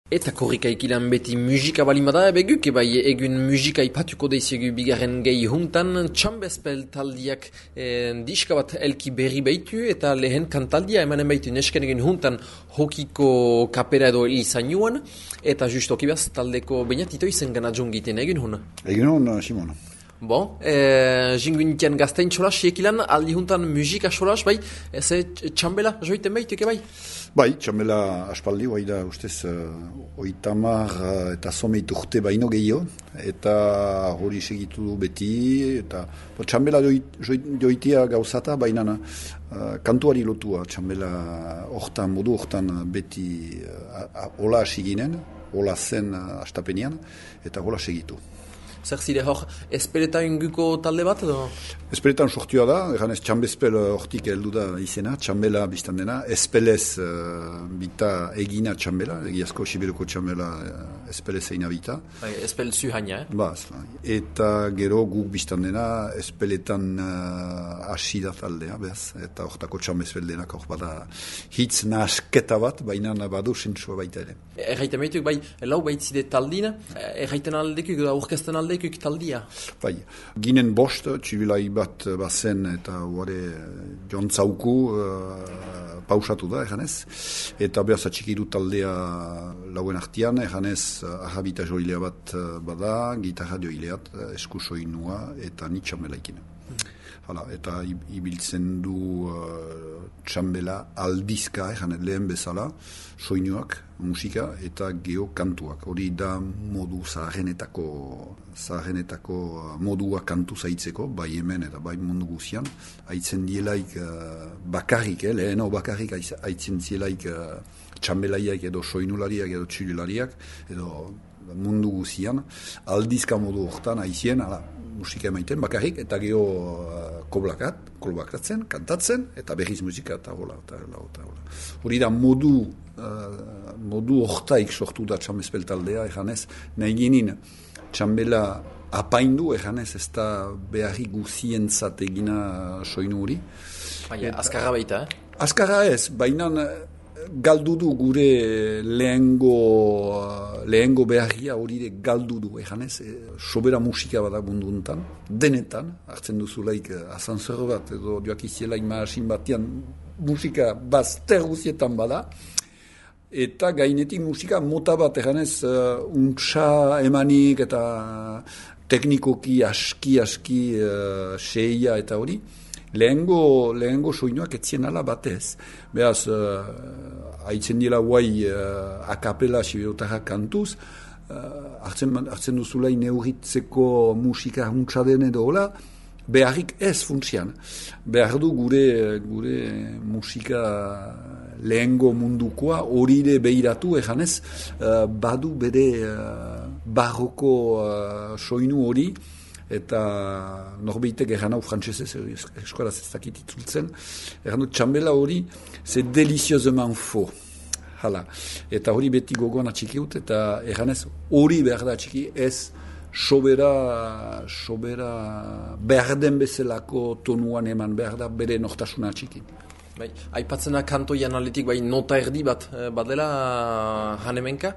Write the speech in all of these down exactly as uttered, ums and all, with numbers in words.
Eta korrika ikilan beti musika balimada, ebeguk, bai egun musika ipatuko deiziegu bigarren gehi huntan, txambezpel taldiak eh, diska bat elki berri baitu, eta lehen kantaldia emanen baitu nesken egun huntan hokiko kapera edo izan eta just okibaz taldeko bainatito izen gana jungiten egun hun. Egun hun, Simon. Bon, eh, jinguintian gaztein txolas, ekilan aldi huntan musika txolas, bai, ez txambela joiten baitu, bai? Bai, txambela aspaldi, bai da, ustez, uh, oitamar uh, eta someit urte baino gehiago, eta hori segitu du beti, eta bo, txambela joitia gauzata, baina uh, kantuari lotua, txambela hortan, modu hortan beti uh, hola hasi ginen, hola zen uh, astapenean, eta hola segitu. Zer zire hor, espereta inguko talde bat edo? Esperetan sortua da, egan ez txambezpel hortik heldu da izena, txambela biztan dena, espelez uh, bita egina txambela, egiazko siberuko txambela uh, espelez egina bita. Bai, espel zuhaina, eh? Ba, eta gero guk biztan dena, espeletan uh, hasi da taldea, behaz, eta hortako txambezpel denak hor bada hitz nasketa bat, baina badu sentsua baita ere. Erraiten behituk, bai, lau baitzide taldina, erraiten aldekuk da aurkezten aldekuk taldia. Bai, ginen bost, txibilai bat bazen eta huare jontzauku uh, pausatu da, eganez. Eta behaz atxikiru taldea lauen artian, eganez ahabita joilea bat bada, gitarra joileat, esku soinua eta ni txambelaikine. Hala, eta ibiltzen du uh, txambela aldizka, egan lehen bezala, soinuak, musika, eta geokantuak. Hori da modu zaharrenetako, zaharrenetako modua kantu zaitzeko, bai hemen eta bai mundu guzian. Aitzen dielaik uh, bakarrik, eh, leheno bakarrik aitzen dielaik uh, txambelaiak edo soinulariak edo txilulariak, edo mundu guzian. Aldizka modu hortan aizien, ala, musika emaiten bakarrik, eta geho uh, koblakat, kolbakatzen, kantatzen, eta berriz musika, eta hola, eta hola, eta hola. Hori da modu, uh, modu hortaik sortu da txambezpel taldea, eganez, nahi ginen txambela apaindu, eganez, ez da beharri guzientzat egina soinu hori. Baina, azkarra baita, eh? Azkarra ez, baina galdu du gure lehengo, lehengo beharria hori de galdu du, eganez, e, sobera musika bada bunduntan, denetan, hartzen duzulaik asanzor bat, edo joak izielaik maasin batean musika bazter guzietan bada, eta gainetik musika mota bat, eganez, uh, untsa emanik eta teknikoki aski-aski uh, seia eta hori, Lehengo, lehengo soinuak etzien ala batez. Beaz, uh, haitzen dira guai uh, akapela siberotarra kantuz, uh, hartzen, hartzen duzulai neuritzeko musika huntsa den edo hola, beharrik ez funtzian. Behar du gure, gure musika lehengo mundukoa horire behiratu eganez, uh, badu bere uh, barroko uh, soinu hori, eta norbeitek erran hau frantzesez, eskolaz ez dakit itzultzen, erran dut txambela hori, ze deliziozeman fo. Hala. Eta hori beti gogoan atxikiut, eta erranez hori behar da atxiki, ez sobera, sobera behar den bezalako tonuan eman behar da bere nortasuna atxiki. Bai, aipatzena kantoian aletik bai nota erdi bat badela hanemenka.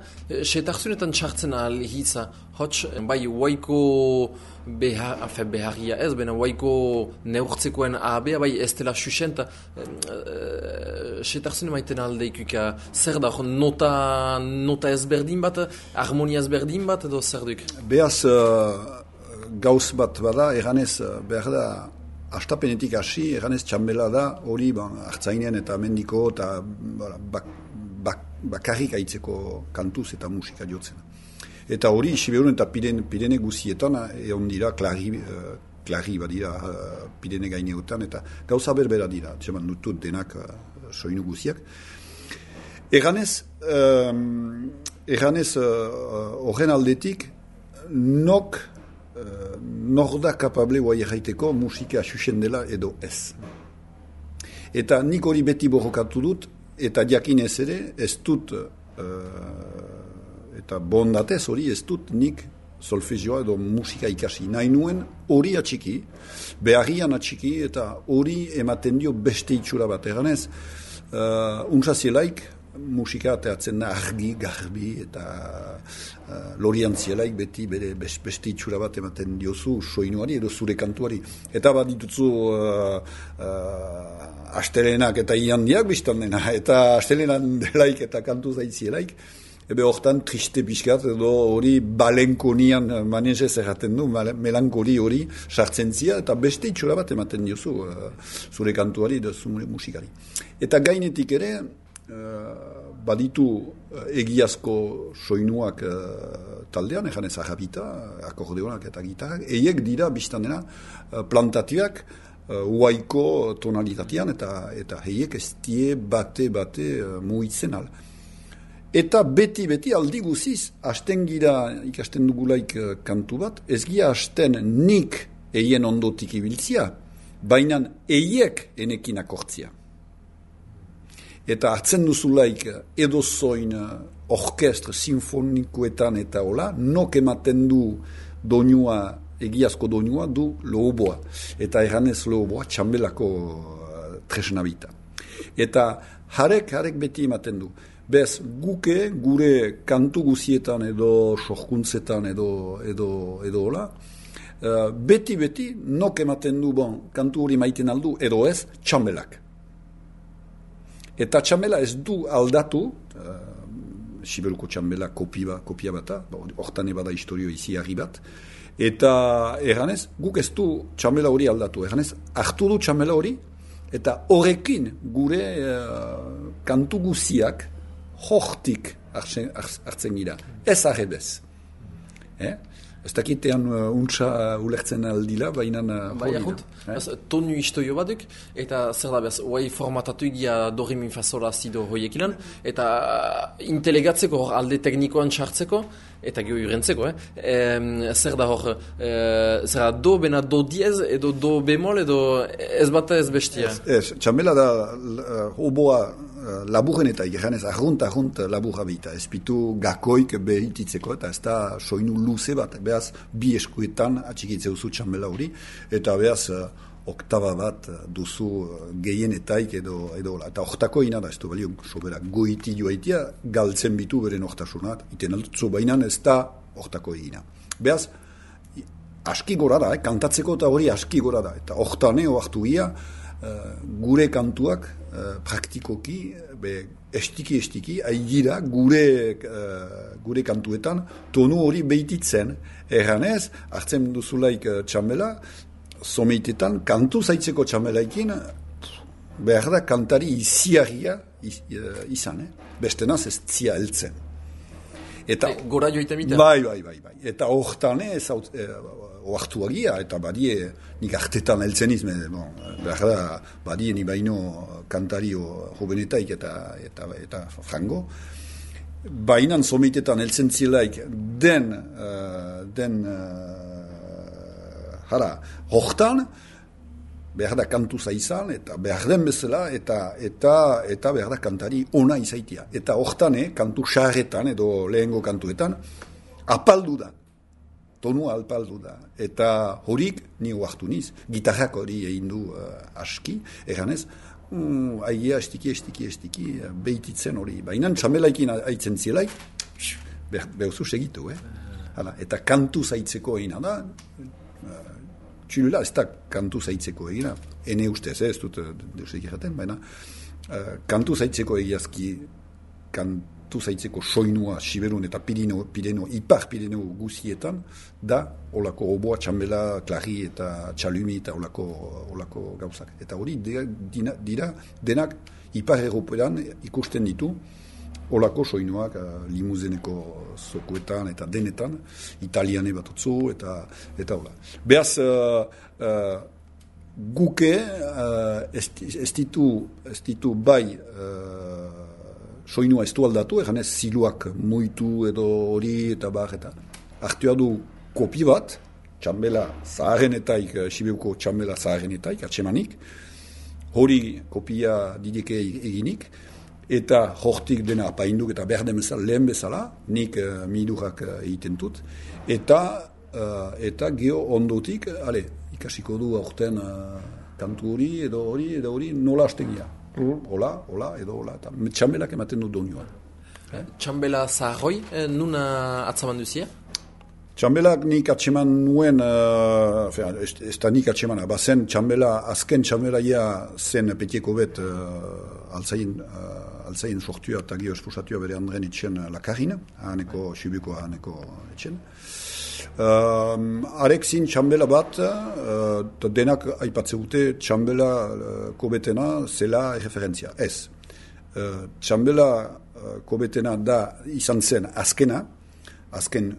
Setarzunetan txartzen ahal hitza, hots, bai waiko behar, afe, beharria ez, bena waiko neurtzekoen ahabea, bai ez dela susenta. Setarzune maiten aldeikuka, zer da, nota, nota ezberdin bat, harmonia ezberdin bat, edo zer duk? Beaz, uh, gauz bat bada, eganez behar da, astapenetik hasi, eganez txambela da, hori hartzainen eta mendiko eta bak, bak, bakarrik aitzeko kantuz eta musika jotzen. Eta hori, Siberun eta Pirene, Pirene guzietan, egon dira, klari, uh, klari badira uh, Pirene gaineotan, eta gauza berbera dira, txeman dutut denak uh, soinu guziak. Eganez, um, eganez, horren uh, aldetik, nok Uh, nor da kapable guai erraiteko musika xuxen dela edo ez. Eta nik hori beti borrokatu dut, eta jakin ez ere, ez dut, uh, eta bondatez hori ez dut nik solfegioa edo musika ikasi. Nahi nuen hori atxiki, beharrian atxiki, eta hori ematen dio beste itxura bat. Eganez, uh, untsazielaik, musika teatzen da argi, garbi, eta uh, loriantzielaik beti bere beste itxura bat ematen diozu soinuari edo zure kantuari. Eta bat dituzu uh, uh, astelenak eta iandiak biztan dena, eta astelenan delaik eta kantu zaitzielaik, ebe hortan triste pixkat edo hori balenkonian manezez erraten du, melankoli hori sartzen zia, eta beste itxura bat ematen diozu uh, zure kantuari edo zure musikari. Eta gainetik ere, Uh, baditu uh, egiazko soinuak uh, taldean, egan ez ajapita, akordeonak eta gitarrak, eiek dira biztan dena uh, plantatiak uh, uaiko tonalitatean eta eta heiek ez die bate-bate uh, muitzen al. Eta beti-beti aldi guziz, hasten gira ikasten dugulaik uh, kantu bat, ez gira hasten nik eien ondotik ibiltzia, baina eiek enekin akortzia. Eta hartzen duzulaik edozoin orkestra sinfonikoetan eta hola, nok ematen du doinua, egiazko doinua du lohoboa. Eta erranez lohoboa txambelako tresnabita. Eta harek, harek beti ematen du. Bez, guke gure kantu guzietan edo sorkuntzetan edo, edo, edo hola, beti-beti nok ematen du, bon, kantu hori maiten aldu, edo ez, txambelak. Eta txambela ez du aldatu, uh, Siberuko txambela kopia, kopia bata, hortan ebada historio izi harri bat, eta erranez, guk ez du txambela hori aldatu, erranez, hartu du txambela hori, eta horrekin gure uh, kantu guziak hortik hartzen, hartzen gira, ez arrebez. Eh? Ez dakitean uh, untsa uh, ulertzen aldila, baina uh, bai, hori da. Eh? Tonu istoio baduk, eta zer da behaz, oai formatatu egia dori min fazola zido hoiek ilan, eta uh, intelegatzeko hor alde teknikoan txartzeko, eta geho jurentzeko, eh? E, zer da hor, e, zer da do bena do diez, edo do bemol, edo ez bata ez bestia. Ez, ez txambela da hoboa uh, laburren eta igeranez, arrunt, arrunt laburra bita, ez pitu gakoik behititzeko, eta ez da soinu luze bat, behaz bi eskuetan atxikitzeu zu txambela hori, eta behaz uh, oktaba bat duzu gehienetaik edo edo eta hortako ina da, ez du balio sobera goiti joaitia galtzen bitu beren hortasunat, iten altutzu bainan ez da hortako ina. Behaz, aski gora da, eh? Kantatzeko eta hori aski gora da, eta hortaneo hartu ia, uh, gure kantuak uh, praktikoki, be, estiki-estiki, aigira gure, uh, gure kantuetan tonu hori behititzen, erranez, hartzen duzulaik uh, txambela, someitetan, kantu zaitzeko txamelaikin, behar da kantari iziarria iz, izan, eh? Bestenaz ez zia heltzen. Eta, e, gora joita mita? Bai, bai, bai, bai. Eta hortan ez, eh, oartu agia, eta badie, nik artetan heltzen izme, bon, behar da, badie ni baino kantario jovenetaik eta, eta, eta frango, bainan someitetan heltzen zilaik den, uh, den, uh, Hara, hortan, behar da kantu zaizan, eta behar den bezala, eta, eta, eta behar da kantari ona izaitia. Eta hortan, eh, kantu xarretan, edo lehengo kantuetan, apaldu da. Tonua apaldu da. Eta horik, ni oartu niz, gitarrak hori egin du uh, aski, eganez, um, aigia estiki, estiki, estiki, behititzen hori. Baina txamelaikin aitzen zielaik, behuzu segitu, eh? Hala, eta kantu zaitzeko egina da, txilula ez da kantu zaitzeko egina, ene ustez, ez dut deusek erraten, baina uh, kantu zaitzeko egiazki, kantu zaitzeko soinua Siberun eta Pirino, Pireno, Ipar Pireno guzietan, da olako oboa, txambela, klari eta txalumi eta olako, olako gauzak. Eta hori dira, dira denak Ipar European ikusten ditu, olako soinuak uh, limuzeneko zokoetan eta denetan, italiane bat otzu, eta eta hola. Beaz, uh, uh, guke uh, ez, ez, ditu, ez ditu bai uh, soinua ez du aldatu, egan ez ziluak muitu edo hori eta bar eta hartua du kopi bat, txambela zaharenetaik, uh, Sibeuko txambela zaharenetaik, atsemanik, hori kopia dideke eginik, eta hortik dena apainduk eta behar den bezala, lehen bezala, nik uh, midurak uh, egiten dut, eta, uh, eta geho ondotik, ale, ikasiko du aurten uh, kantu hori, edo hori, edo hori, nola hastegia. hola, hola, edo hola, eta txambelak ematen du doinua. Eh? Txambela zaharroi, eh, nuna atzaman duzia? Txambelak nik atseman nuen, uh, ez, ez da nik atsemana, bazen txambela, azken txambelaia zen petieko bet uh, altzain, uh, altzain sortua eta gio esposatua bere andren etxen lakarrin, haneko xibiko haneko etxen. Uh, arek zin txambela bat, uh, denak aipatze dute txambela uh, kobetena zela referentzia. Ez. Uh, txambela uh, kobetena da izan zen azkena, azken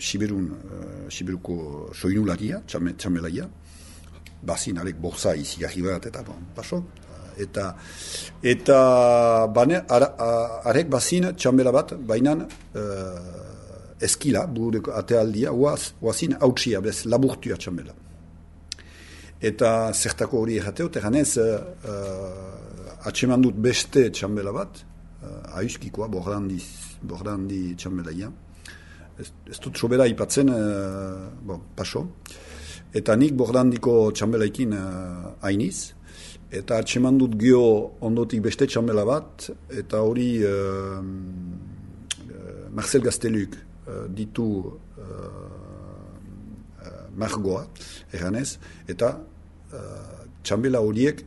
Siberun, uh, Siberuko soinularia, txame, txamelaia, bazin arek borza izigarri bat, eta bon, paso. Eta, eta bane, ara, arek bazin txamela bat, bainan uh, eskila, burureko atealdia, oaz, oazin hautsia, bez, laburtua txamela. Eta zertako hori errateot, eganez, uh, atseman dut beste txamela bat, uh, aizkikoa, bordandi, bordandi txamelaia, Ez, ez dut sobera ipatzen, uh, bon, paso. Eta nik bordandiko txambelaikin uh, hainiz. Eta atseman dut gio ondotik beste txambela bat. Eta hori uh, uh, Marcel Gazteluk uh, ditu uh, uh, margoa, erranez. Eta uh, txambela horiek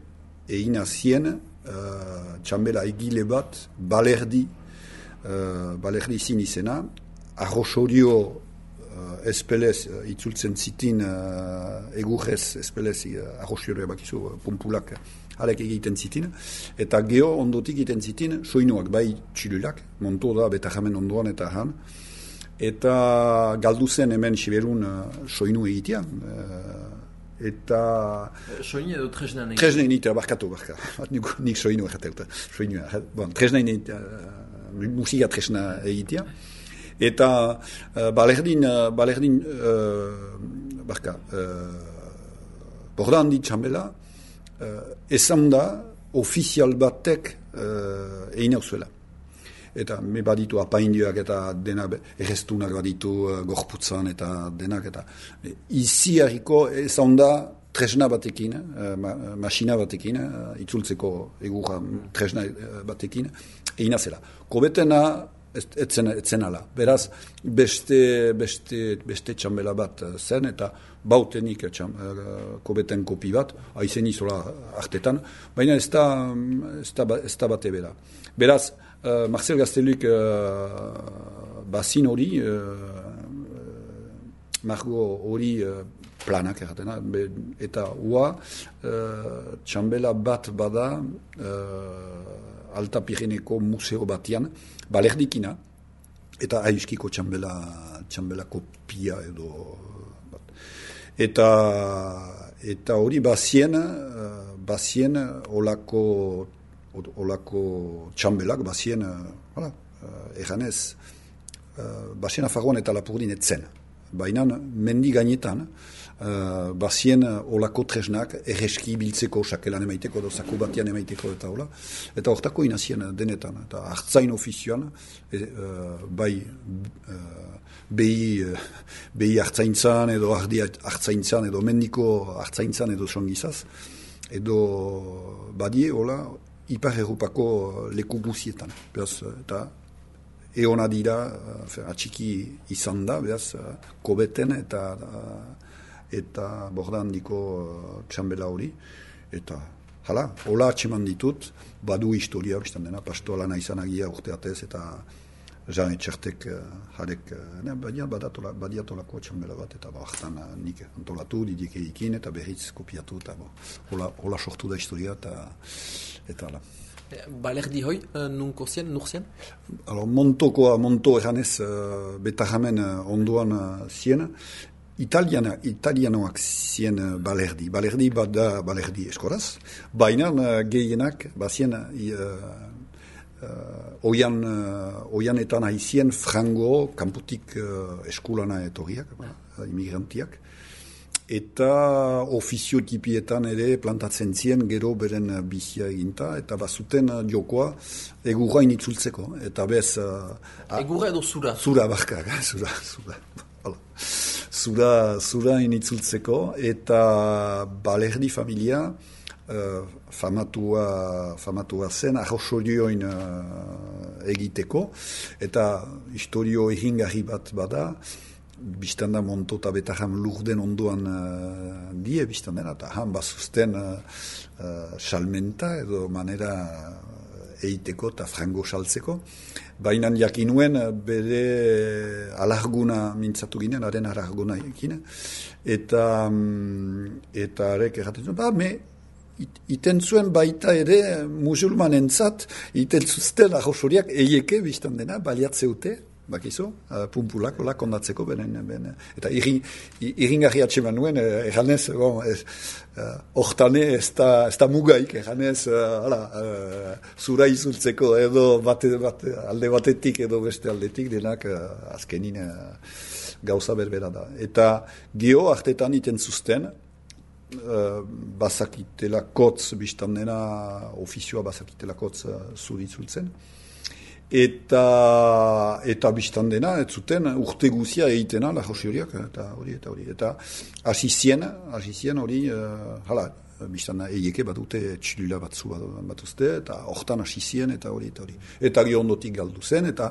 egina zien uh, txambela egile bat balerdi, uh, balerdi zin izena. Arrosorio uh, espelez uh, itzultzen zitin uh, egurrez espelez uh, arrosorioa bakizu uh, pumpulak halek egiten zitin eta geho ondotik egiten zitin soinuak bai txilulak, monto da betajamen ondoan eta han eta galdu zen hemen Siberun uh, soinu egitea uh, eta soinu edo tresna egin? Tresna egin, barkatu, barka nik, nik soinu egin soinu, bon, tresna egin uh, musika tresna egitea eta uh, balerdin, uh, balerdin uh, barka, uh, bordandi txambela, uh, esan da ofizial batek uh, egin hau zuela. Eta me baditu apaindioak eta denak errestunak baditu uh, gorputzan eta denak eta izi harriko esan da tresna batekin, uh, ma, masina batekin, uh, itzultzeko egurra tresna batekin, egin zela. Kobetena etzen etzen ala. Beraz beste beste beste txambela bat zen eta bautenik txam, kobeten kopi bat aizen izola artetan, baina ez da ez da, ez da bate bera. Beraz uh, Marcel Gazteluk uh, bazin hori uh, margo hori uh, planak erratena, eta ua uh, txambela bat bada uh, Alta Pireneko museo batian, balerdikina, eta aiskiko txambela, txambela kopia edo bat. Eta, eta hori bazien, bazien olako, olako txambelak, bazien, hala, erranez, bazien afarroan eta lapurdin etzen. Baina mendi gainetan, Uh, bazien uh, olako tresnak erreski biltzeko sakelan emaiteko edo zaku batian emaiteko eta hola. Eta hortako inazien denetan. Eta hartzain ofizioan, e, uh, bai uh, behi, uh, behi hartzaintzan edo ardi hartzaintzan edo mendiko hartzaintzan edo songizaz. Edo badie, hola, ipar errupako leku guzietan. Beraz, eta eona dira, uh, atxiki izan da, beraz, uh, kobeten eta uh, eta bordandiko uh, txambela hori, eta hala, hola atxeman ditut, badu historia, biztan dena, pastoala naizan agia urteatez, eta jan etxertek uh, jarek, uh, badia badiatolako txambela bat, eta bahtan uh, nik antolatu, didik eikin, eta berriz kopiatu, eta bo, hola, hola sortu da historia, eta eta hala. Balerdi hoi, uh, nunko zien, nur zien? Alors, montokoa, monto eranez, uh, betajamen uh, ondoan uh, zien, Italiana, italianoak zien balerdi. Balerdi bat da balerdi eskoraz. Baina uh, gehienak, bazien uh, uh, oian, uh, oianetan haizien frango, kanputik uh, eskulana etorriak, uh, imigrantiak. Eta ofizio tipietan ere plantatzen zien gero beren bizia eginta, eta bazuten uh, jokoa egurra initzultzeko. Eta bez... Uh, egurra edo zura? Zura, barkak, zura, zura. Zura, zura initzultzeko, eta balerdi familia uh, famatua, famatua zen arrosorioin uh, egiteko, eta historio egingarri bat bada, biztanda monto eta betaham lurden ondoan uh, die biztandena, eta han bazuzten uh, uh, salmenta edo manera eiteko eta frango saltzeko. Baina jakinuen bere alarguna mintzatu ginen, haren alarguna ekin, eta eta arek erraten zuen, ba, me iten zuen baita ere musulmanentzat, iten zuzten arrosoriak eieke biztan dena, baliatzeute, bakizu, uh, pumpulak, ola, kondatzeko, benen, benen. Eta iringarri atseman nuen, erranez, bon, ez, uh, ortane ez da, ez da mugaik, erranez, uh, ala, uh, zura izultzeko edo bate, bate, alde batetik edo beste aldetik, denak uh, azkenin uh, gauza berbera da. Eta gio hartetan iten zuzten, uh, bazakitela kotz, biztan dena, ofizioa bazakitela kotz uh, zuri izultzen, eta eta biztan dena, ez zuten urte guzia egitena lajosi horiak, eta hori, eta hori, eta hasi zien, hasi zien hori, uh, hala, biztan da, eieke bat dute txilula batzu bat, bat uzte, eta hortan hasi zien, eta hori, eta hori. Eta gio ondotik galdu zen, eta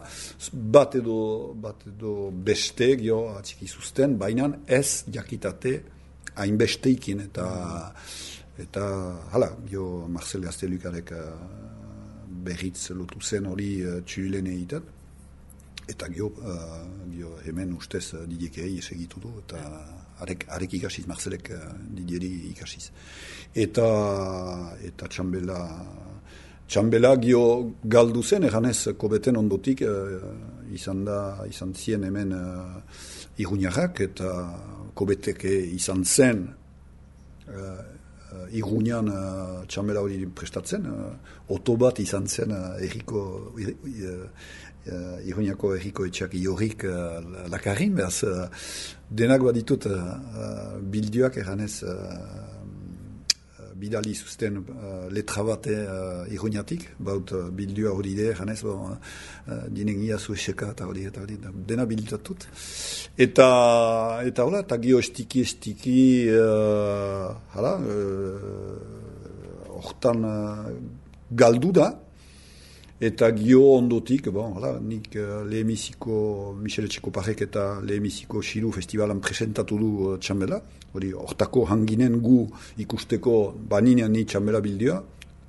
bat edo, bat edo beste gio atxiki zuzten, baina ez jakitate hainbesteikin, eta, eta hala, gio Marcel Gaztelukarek berritz lotu zen hori uh, txurilen egiten, eta gio, uh, gio hemen ustez uh, Didierkei esegitu du, eta arek, arek ikasiz, Marcelek uh, Didieri ikasiz. Eta, eta txambela, txambela gio galdu zen, eganez kobeten ondotik uh, izan da, izan zien hemen uh, Iruñarrak, eta kobeteke izan zen uh, Uh, Iruñan uh, txambela hori prestatzen, uh, oto bat izan zen uh, erriko, uh, uh, Iruñako erriko etxak iorrik uh, lakarrin, behaz uh, denak baditut uh, uh, bildioak eranez uh, uh, bidali zuzten uh, letra bate uh, Iruñatik, baut uh, bildioa hori de eranez, bon, uh, dinengia zueseka eta hori, eta hori, dena bildatut. Eta, eta hola, eta gio estiki, estiki, uh, hala, hortan uh, uh, galdu da, eta gio ondotik, bon, hala, nik uh, lehemiziko, Michel Etxekoparek eta lehemiziko Xiru festivalan presentatu du uh, txambela, hori, hortako hanginen gu ikusteko baninean ni txambela bildioa,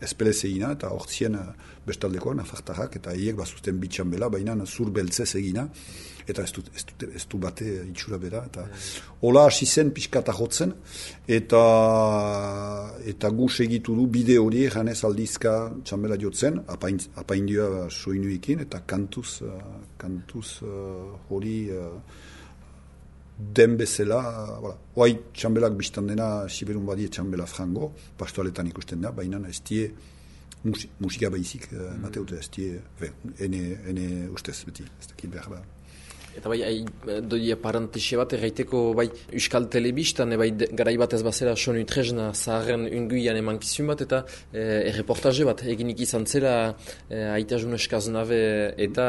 espelez egina, eta hortzien uh, bestaldekoan, afartarrak, eta hiek bazuzten bitxambela, baina zur beltzez egina, eta ez du, ez du, ez du bate itxura bera, eta hola hasi zen pixkata jotzen, eta eta gu segitu du bide hori janez aldizka txambela jotzen, apain, apaindioa soinuekin, eta kantuz, uh, kantuz uh, hori uh, den bezala, uh, voilà. Hoai txambelak biztan dena Siberun badie txambela frango, pastoaletan ikusten da, baina ez die musi, musika baizik, uh, mm. mateute ez die, ene, ene ustez beti, ez dakit behar da. Eta bai, doia parantexe bat, erraiteko bai Euskal Telebistan, bai garai bat ez bazera sonu trezna zaharren unguian emankizun bat, eta eh, erreportaje bat eginik izan zela eh, Aita June Eskaznabe eta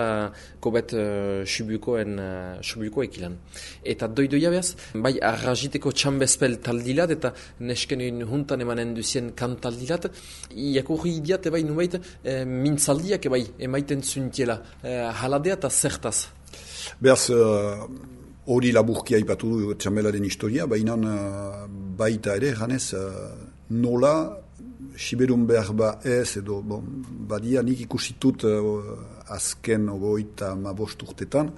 kobet eh, Subukoen eh, Subuko ekilan. Eta doidoia behaz, bai arraziteko txambezpel taldilat, eta nesken juntan emanen duzien kantaldilat, iakurri idiat, bai nubait, eh, mintzaldiak bai emaiten zuntiela, eh, haladea eta zertaz. Beraz, hori uh, laburkia ipatu du txambelaren historia, baina uh, baita ere, janez, uh, nola, Siberun behar ba ez, edo, bon, badia nik ikusitut uh, azken ogoita ma bost urtetan,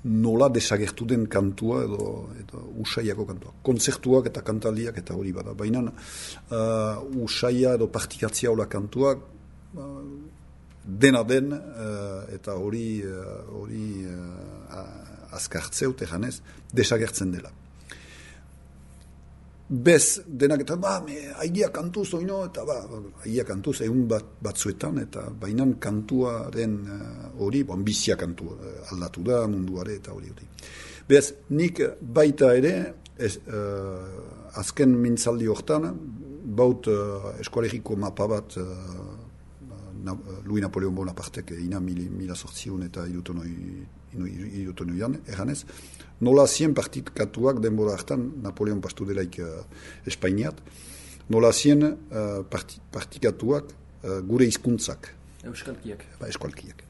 nola desagertu den kantua, edo, edo usaiako kantua. Konzertuak eta kantaldiak eta hori bada. Baina uh, usaia edo partikatzia hola kantuak, uh, dena den, uh, eta hori hori uh, azkartzeut eganez, desagertzen dela. Bez, denak eta, ba, me, haigia kantuz, oino, eta ba, haigia kantuz, egun bat, batzuetan, eta bainan kantuaren hori, uh, bon, bizia kantu uh, aldatu da, munduare, eta hori hori. Bez, nik baita ere, ez, uh, azken mintzaldi hortan, baut uh, eskualeriko mapa bat, uh, Na, Louis Napoleon Bonapartek ina mila, mila sortziun eta irutonoian, eganez, nola zien partitkatuak denbora hartan Napoleon pastu delaik uh, Espainiat, nola zien uh, parti, partikatuak uh, gure hizkuntzak. Euskalkiak. Ba, euskalkiak.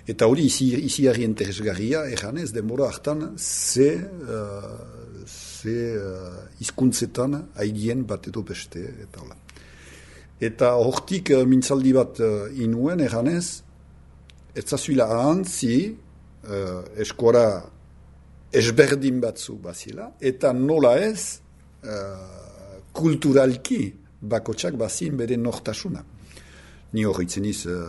Eta hori izi, iziarri interesgarria, eganez, denbora hartan, ze, uh, ze uh, hizkuntzetan haidien bat edo beste, eta hola. Eta hortik uh, mintzaldi bat uh, inuen, eganez, ez zazuila ahantzi, uh, eskora esberdin batzu bazila, eta nola ez, uh, kulturalki bakotsak bazin bere nortasuna. Ni horretzen iz, uh,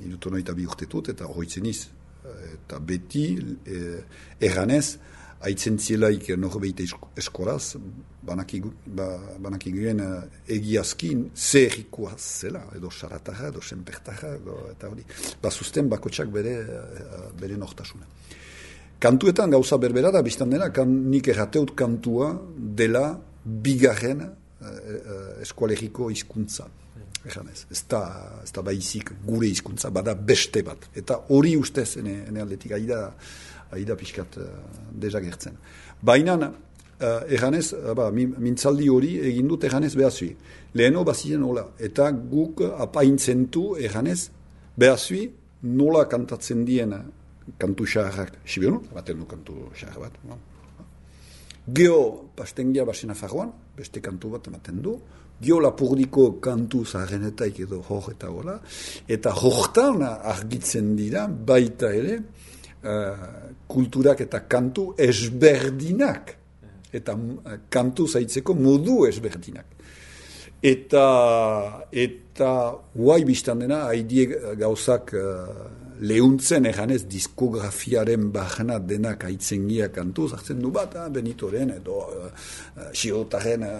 irutono eta bi urtetut, eta horretzen iz, uh, eta beti, uh, erganez, haitzen zielaik norbeite eskoraz, banakiguen ba, egiazkin zer zela, edo saratarra, edo senpertarra, edo, eta hori, bazuzten bakotsak bere, bere nortasuna. Kantuetan gauza berbera da, biztan dena, kan, nik errateut kantua dela bigarren uh, eskolegiko hizkuntza. Ejanez, ez da, ez da baizik gure hizkuntza, bada beste bat. Eta hori ustez, ene, ene aldetik, aida, aida pixkat uh, dezagertzen. Baina, uh, ejanez, ba, mintzaldi hori egin dut ejanez behazui. Leheno bazien hola, eta guk apaintzentu ejanez behazui nola kantatzen dien kantu xaharrak. Sibionu, baten du kantu xahar bat. No? Geo pastengia basena farroan, beste kantu bat ematen du. Gio lapurdiko kantu zaharrenetaik edo hor eta gola, eta hortan argitzen dira baita ere uh, kulturak eta kantu esberdinak, eta uh, kantu zaitzeko modu esberdinak. Eta, eta guai biztan dena, haidie gauzak uh, lehuntzen eganez diskografiaren bahana denak aitzengia kantu, zartzen du bat, ah, Benitoren edo uh, Xirotaren uh,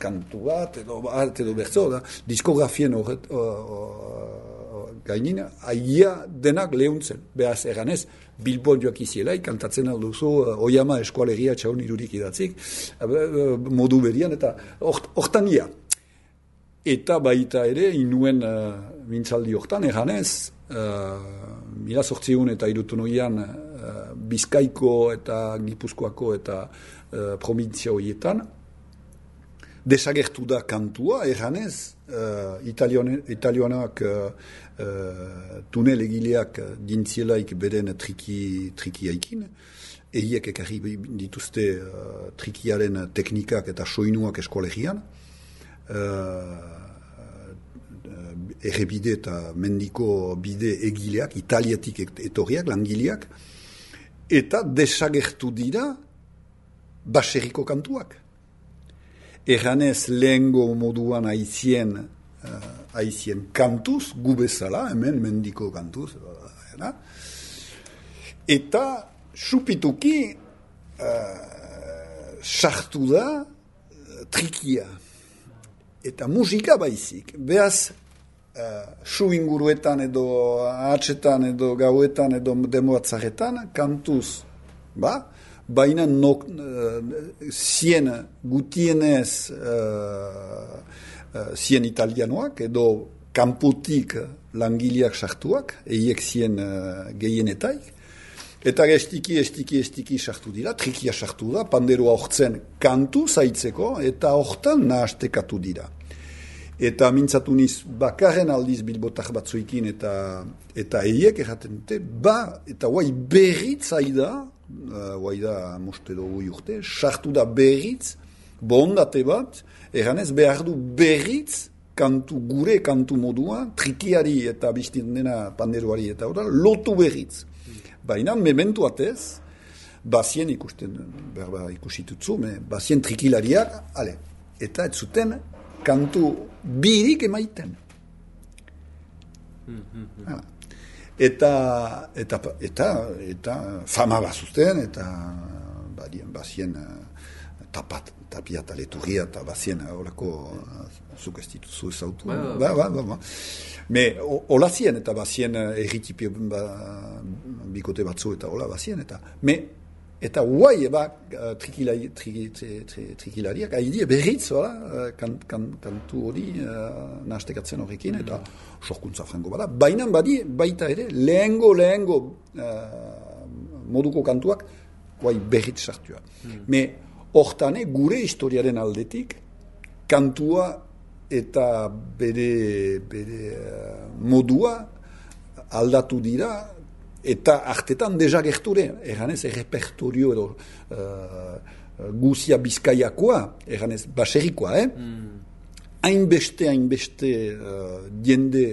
kantu bat, edo bat, edo bertzo, da, diskografien horret uh, uh, gainin, aia denak lehuntzen. Beaz eganez, Bilbon joak izielai, kantatzen alduzu, uh, Oyama eskualegia txaun irurik idatzik, uh, modu berian, eta hortan ia. Eta baita ere, inuen uh, mintzaldi hortan, eganez, Uh, mila sortziun eta irutunoian uh, Bizkaiko eta Gipuzkoako eta uh, provintzia horietan desagertu da kantua, erranez uh, italioanak uh, uh, tunel egileak dintzielaik beren triki, trikiaikin, eiek ekarri dituzte uh, trikiaren teknikak eta soinuak eskolegian, uh, errebide eta mendiko bide egileak, italiatik etorriak, langileak, eta desagertu dira baserriko kantuak. Erranez lehengo moduan haizien, uh, haizien kantuz, gubezala, hemen mendiko kantuz, uh, eta supituki uh, sartu da uh, trikia. Eta musika baizik, behaz, Uh, su inguruetan edo atxetan edo gauetan edo demoatzaretan kantuz, ba? Baina nok, uh, zien gutienez uh, uh, zien italianoak edo kanputik langileak sartuak, eiek zien uh, gehienetaik, eta estiki, estiki, estiki sartu dira, trikia sartu da, panderoa hortzen kantu zaitzeko, eta hortan nahastekatu dira. Eta mintzatu niz, bakarren aldiz bilbotak batzuikin eta eta eiek erraten dute, ba, eta guai berritz aida, uh, guai da moste dugu urte, sartu da berritz, bondate bat, erranez behar du berritz, kantu, gure kantu modua, trikiari eta biztin dena panderoari eta hori, lotu berritz. Baina, mementu atez, bazien ikusten, berba ikusitutzu, me, bazien trikilariak, ale, eta ez zuten, kantu birik emaiten. Mm-hmm. Eta, eta, eta, eta fama bazuzten, eta badien, bazien tapat, tapia eta leturria, eta bazien horako zuk ez dituzu ezautu. Ba, ba, ba, ba. Me, hola zien, eta bazien erritipio ba, bikote batzu, eta hola bazien, eta me, eta guai eba trikilari, tri, tri, tri, trikilariak, haidie berriz, hola, kan, kan, kantu hori uh, nahastekatzen horrekin, eta sorkuntza frango bada. Baina badi, baita ere, lehengo, lehengo uh, moduko kantuak, guai berriz sartua. Mm. Me, hortane, gure historiaren aldetik, kantua eta bere, bere modua aldatu dira, eta artetan desagerture, eganez, errepertorio edo uh, guzia bizkaiakoa, eganez, baserikoa, eh? Mm. Hainbeste, hainbeste uh, jende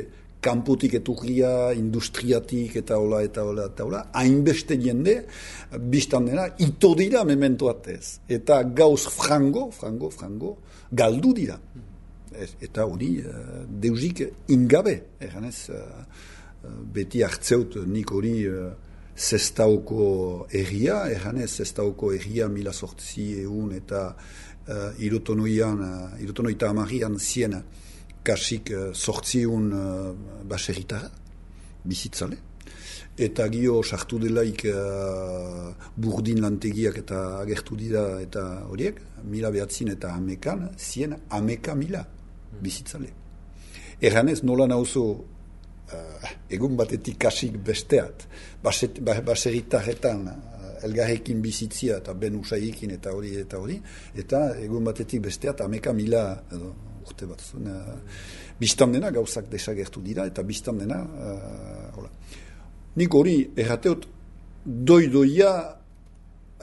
kanpotik eturria, industriatik, eta hola, eta hola, eta hola, hainbeste jende, biztan dena, ito dira mementoatez. Eta gauz frango, frango, frango, galdu dira. Eta hori, uh, deusik ingabe, eganez, uh, beti hartzeut nik hori uh, zestauko erria, eganez, zestauko erria mila sortzi egun eta uh, irotonoian, uh, irotonoita amarian zien kasik uh, sortziun uh, baserritara, bizitzale. Eta gio sartu delaik uh, burdin lantegiak eta agertu dira eta horiek, mila behatzin eta amekan, zien ameka mila bizitzale. Eganez, nola nauzo Uh, egun batetik kasik besteat, baserritarretan uh, elgarrekin bizitzia eta ben usaikin eta hori eta hori, eta egun batetik besteat ameka mila edo, urte bat zuen, uh, biztan dena gauzak desagertu dira eta biztan dena uh, hola. Nik hori errateot doidoia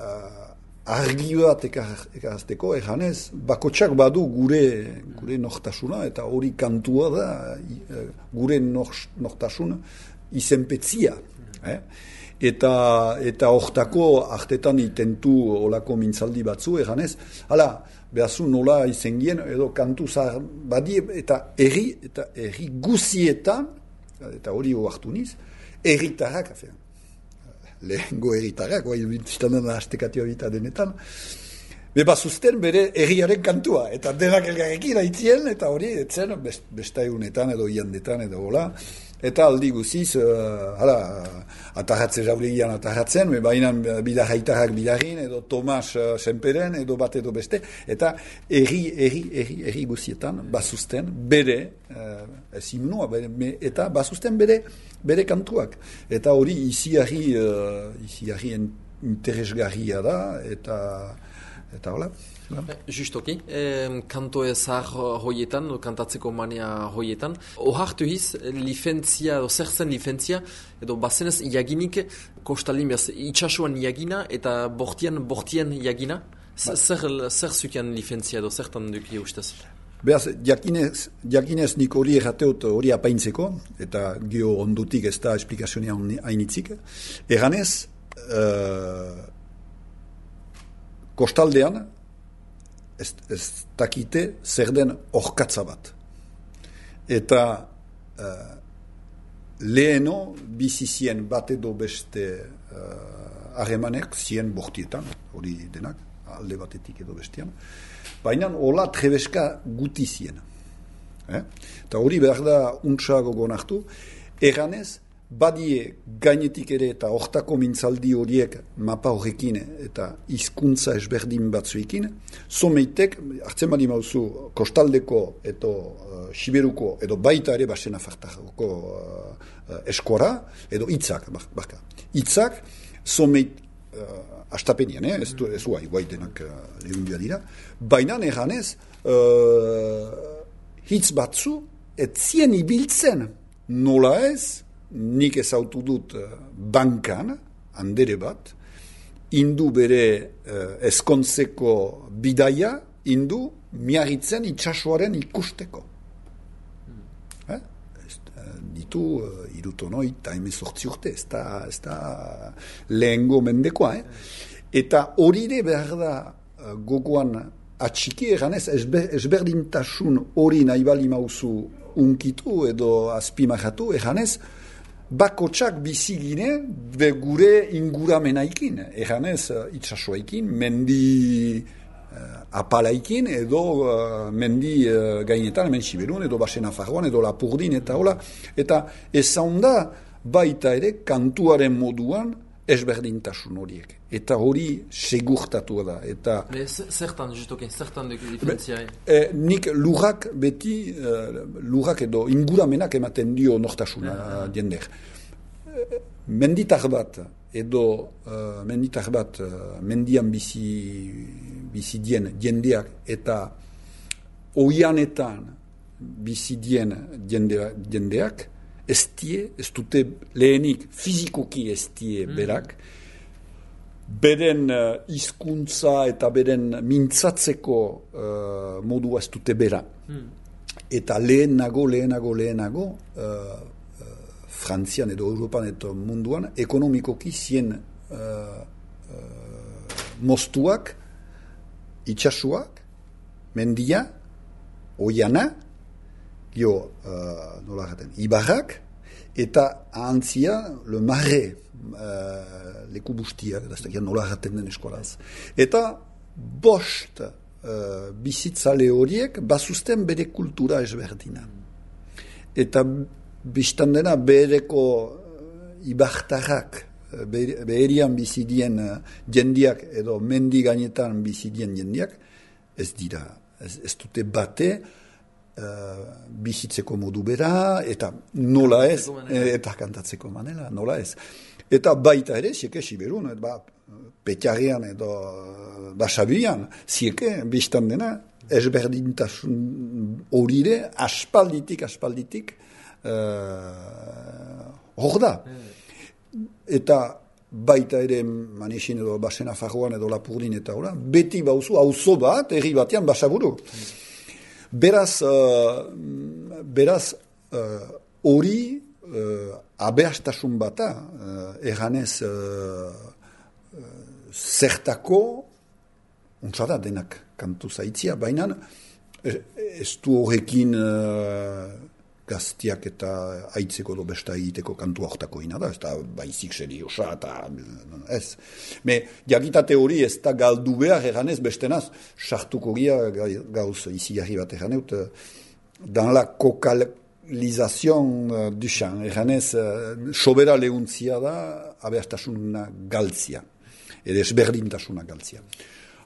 uh, argi bat ekarazteko, eganez, bakotsak badu gure gure nortasuna, eta hori kantua da gure nortasuna izenpetzia. Eh? Eta eta hortako artetan itentu olako mintzaldi batzu, eganez, hala, behazu nola izengien, edo kantu zahar badi, eta erri, eta erri guzietan, eta hori oartu niz, erritarrak, afean. Lehengo erritarrak, oai biztanen hastekatioa bita denetan, beba zuzten bere erriaren kantua, eta denak elgarrekin aitzien, eta hori, etzen, best, bestaiunetan edo iandetan edo hola, eta aldi guziz, uh, hala, atarratze jaulegian atarratzen, bainan bidarraitarrak bidarrin, edo Tomas uh, Senperen, edo bat edo beste, eta erri, erri, erri, erri guzietan, bazuzten bere, uh, ez himnoa, eta bazuzten bere, bere kantuak. Eta hori iziarri, uh, iziarri interesgarria da, eta, eta hola. Justoki, eh, kanto ezar hoietan, kantatzeko mania hoietan, ohartu hiz, lifentzia, edo zer zen lifentzia, edo bazenez jaginik, kostalin behaz, itxasuan jagina, eta bortian, bortian jagina, zer, zer zukian lifentzia, edo zertan duki ustez? Beaz, jakinez, jakinez nik hori errateot hori apaintzeko, eta gio ondutik ez da esplikazioa hainitzik, eganez, uh, kostaldean, Ez, ez dakite zer den orkatza bat. Eta uh, leheno bizizien bat edo beste harremanek uh, zien bortietan, hori denak, alde batetik edo bestean. Baina hola trebeska guti zien. Eh? Eta hori behar da untsago gonartu, eganez, badie gainetik ere eta hortako mintzaldi horiek mapa horrekin eta hizkuntza esberdin batzuekin, someitek, hartzen bali mauzu, kostaldeko edo uh, siberuko edo baita ere basen afartarako uh, eskora, edo hitzak, barka. Hitzak, someit, uh, astapenian, eh? ez du, ez du, guai denak uh, lehundia dira, baina eganez, uh, hitz batzu, ez zien ibiltzen, nola ez, nik ezautu dut bankan, handere bat, indu bere eh, eskontzeko bidaia, indu miarritzen itxasoaren ikusteko. Mm. Eh? Ditu uh, irutonoi eta emezortzi urte, ez da, ez da lehengo mendekoa. Eh? Eta horire behar da uh, gogoan atxiki eganez, esber, esberdintasun hori nahi bali mauzu unkitu edo azpimajatu eganez, bakotsak bizigine be gure inguramenaikin, eganez itsasoaikin, mendi uh, apalaikin, edo uh, mendi uh, gainetan, hemen Siberun, edo Basen Afarroan, edo Lapurdin, eta hola, eta ezaunda baita ere kantuaren moduan ezberdintasun horiek. Eta hori segurtatu da. Eta zertan, justoke, zertan duk diferentzia? Eh, nik lurrak beti, eh, lurrak edo inguramenak ematen dio nortasuna uh, jender. Eh, menditar bat, edo uh, menditar bat, uh, mendian bizi, bizi dien jendeak, eta oianetan bizidien jende, jendeak, ez die, ez dute lehenik fizikoki ez die berak, beren uh, hizkuntza eta beren mintzatzeko uh, modua ez dute bera. Mm. Eta lehenago, lehenago, lehenago, uh, uh, Frantzian edo Europan eta munduan, ekonomikoki zien uh, uh, moztuak, itxasuak, mendia, oiana, gio, uh, nola jaten, ibarrak, eta ahantzia, le marre, uh, leku bustiak, da nola jaten den eskolaz. Eta bost uh, bizitzale horiek bazuzten bere kultura ezberdina. Eta biztan dena bereko uh, ibartarrak, beherian bizidien uh, jendiak edo mendi gainetan bizidien jendiak, ez dira, ez, ez dute bate, uh, bizitzeko modu bera, eta nola ez, eta kantatzeko manera, nola ez. Eta baita ere, zieke Siberun, ba, Petxarrean edo Basabian, zieke, biztan dena, ezberdintasun horire, aspalditik, aspalditik, uh, hor da. Eta baita ere Manixin edo Basena Farroan edo Lapurdin eta ora, beti bauzu, auzo bat, herri batean Basaburu. Beraz, uh, beraz, hori uh, uh, abeastasun bata, uh, erranez uh, uh, zertako, untsada denak kantu zaitzia, baina ez du horrekin uh, gaztiak eta aitzeko do besta egiteko kantu hortako ina da, ez da baizik seriosa eta ez. Me, jagitate hori ez da galdu behar eganez bestenaz, sartuko gira gauz izi jarri bat eganeut, dan la kokalizazion du xan, eganez, sobera lehuntzia da, abeastasuna galtzia, edo ezberdintasuna galtzia.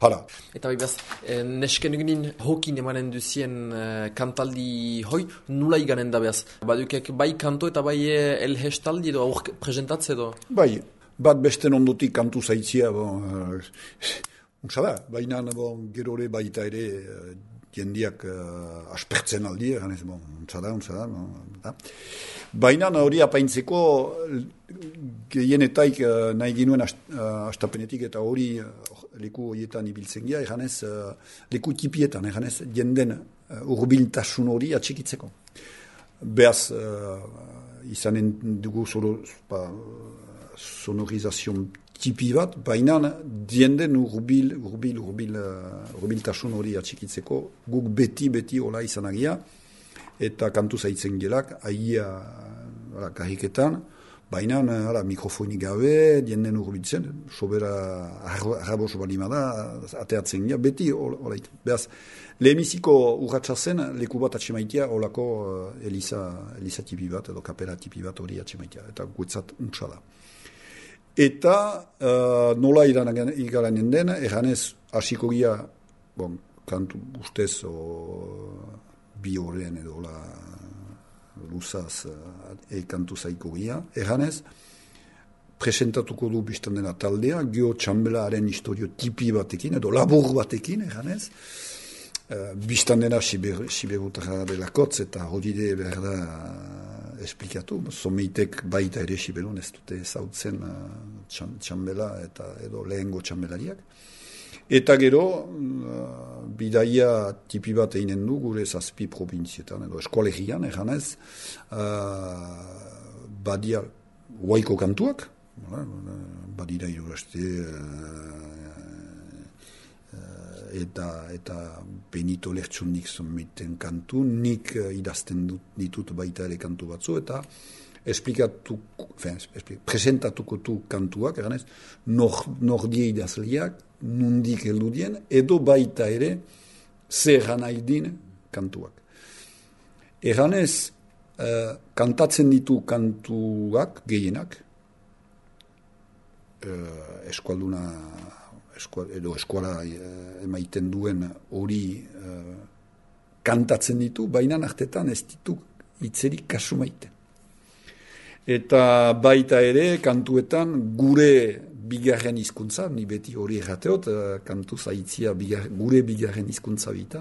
Hala. Eta bai behaz, eh, nesken eginin hokin emanen duzien eh, kantaldi hoi, nula iganen da behaz? Badukek bai kanto eta bai eh, elhestaldi edo aur presentatze edo? Bai, bat besten ondotik kantu zaitzia, bon, uh, unsada, baina bon, gerore baita ere uh, jendiak uh, aspertzen aldi, ganez, bon, unsada, unsada, bon, da. Baina hori apaintzeko gehienetaik uh, nahi ginuen ast, uh, astapenetik eta hori uh, leku horietan ibiltzen gira, eganez, uh, leku tipietan, eganez, jenden uh, urbiltasun hori atxikitzeko. Beaz, uh, izanen dugu zoro, pa, sonorizazion tipi bat, baina jenden urbil, urbil, urbil, uh, urbiltasun hori atxikitzeko, guk beti, beti hola izanagia, eta kantu zaitzen gelak, aia kariketan, baina mikrofonik gabe, jenden urbiltzen, sobera arrabos balimada, ateatzen gira, beti olait. Beaz, lehemiziko urratxazen, leku bat atxemaitia, olako uh, Elisa, Elisa tipi bat, edo kapera tipi bat hori atxemaitia, eta guetzat untsa da. Eta uh, nola igaranen den, erranez, hasiko gira, bon, kantu ustez, o, bi horren edo la luzaz uh, eikantu zaiko gira. Erranez, presentatuko du biztan dena taldea, gio txambelaren historio tipi batekin, edo labur batekin, erranez. Uh, biztan dena siberutara delakotz, eta hodide behar da uh, esplikatu. Someitek baita ere siberun ez dute zautzen uh, txambela eta edo lehengo txambelariak. Eta gero, uh, bidaia tipi bat einen du gure zazpi provinzietan, edo eskolegian, eganez, uh, badia huaiko kantuak, badira iruraste, uh, uh, eta, eta Benito Lertxunik zonmiten kantu, nik uh, idazten dut, ditut baita ere kantu batzu, eta esplikatu, fen, esplik, presentatuko tu kantuak, eganez, nor, nordie idazliak, nundik eldudien, edo baita ere zer nahi kantuak. Eganez, uh, kantatzen ditu kantuak, gehienak, uh, eskualduna, eskual, edo eskuala uh, emaiten duen hori uh, kantatzen ditu, baina nartetan ez ditu itzerik kasu maiten. eta baita ere kantuetan gure bigarren hizkuntza, ni beti hori errateot, kantu zaitzia bigar, gure bigarren hizkuntza bita,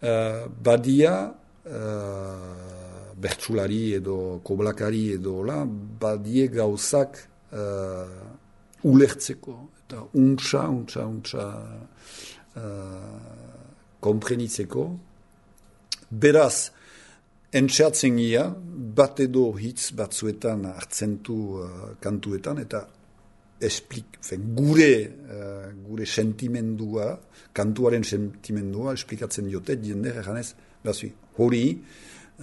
uh, badia uh, bertsulari edo koblakari edo la, badie gauzak uh, ulertzeko, eta untsa, untsa, untsa uh, komprenitzeko. Beraz, entxeatzen gira, bat edo hitz batzuetan hartzentu uh, kantuetan, eta esplik, fe, gure, uh, gure sentimendua, kantuaren sentimendua, esplikatzen diote, jende erganez, bazui, hori,